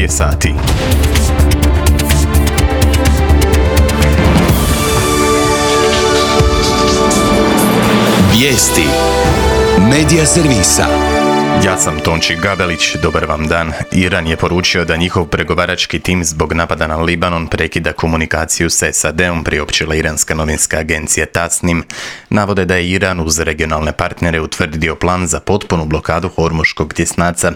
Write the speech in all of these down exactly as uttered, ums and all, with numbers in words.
serije sati. Vijesti Medija servisa. Ja sam Tonči Gabelić, dobar vam dan. Iran je poručio da njihov pregovarački tim zbog napada na Libanon prekida komunikaciju s S A D-om, priopćila iranska novinska agencija Tasnim. Navode da je Iran uz regionalne partnere utvrdio plan za potpunu blokadu Hormuškog tjesnaca.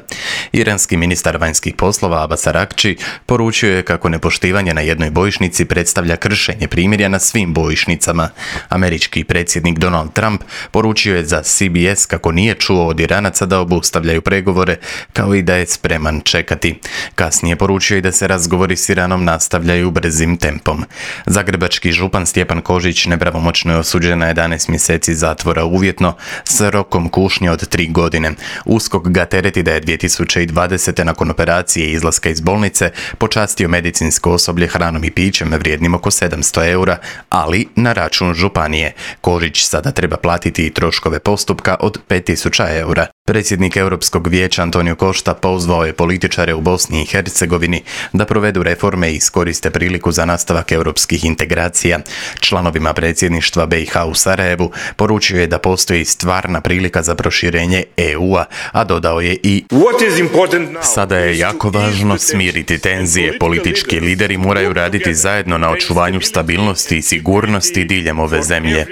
Iranski ministar vanjskih poslova Abbas Araghči poručio je kako nepoštivanje na jednoj bojišnici predstavlja kršenje primirja na svim bojišnicama. Američki predsjednik Donald Trump poručio je za C B S kako nije čuo od Iranaca da obustavljaju pregovore, kao i da je spreman čekati. Kasnije poručio i da se razgovori s Iranom nastavljaju brzim tempom. Zagrebački župan Stjepan Kožić nepravomoćno je osuđen na jedanaest mjeseci zatvora uvjetno s rokom kušnje od tri godine. USKOK ga tereti da je dvije tisuće dvadesete nakon operacije i izlaska iz bolnice počastio medicinsko osoblje hranom i pićem vrijednim oko sedamsto eura, ali na račun županije. Kožić sada treba platiti i troškove postupka od pet tisuća eura. Predsjednik Europskog vijeća Antonio Costa pozvao je političare u Bosni i Hercegovini da provedu reforme i iskoriste priliku za nastavak europskih integracija. Članovima predsjedništva B i H u Sarajevu poručio je da postoji stvarna prilika za proširenje E U-a, a dodao je i: sada je jako važno smiriti tenzije. Politički lideri moraju raditi zajedno na očuvanju stabilnosti i sigurnosti diljem ove zemlje.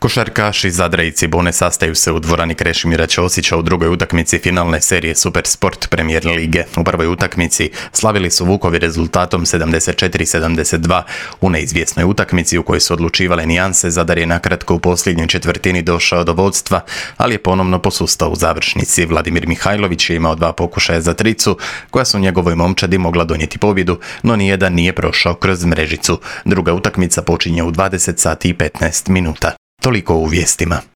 Košarkaši Zadra i Cibone sastaju se u dvorani Krešimira Ćosića u drugoj utakmici finalne serije Supersport Premier lige. U prvoj utakmici slavili su Vukovi rezultatom sedamdeset četiri sedamdeset dva. U neizvjesnoj utakmici u kojoj su odlučivale nijanse, Zadar je nakratko u posljednjoj četvrtini došao do vodstva, ali je ponovno posustao u završnici. Vladimir Mihajlović je imao dva pokušaja za tricu, koja su njegovoj momčadi mogla donijeti pobjedu, no nijedan nije prošao kroz mrežicu. Druga utakmica počinje u dvadeset sati i petnaest minuta. Toliko u vijestima.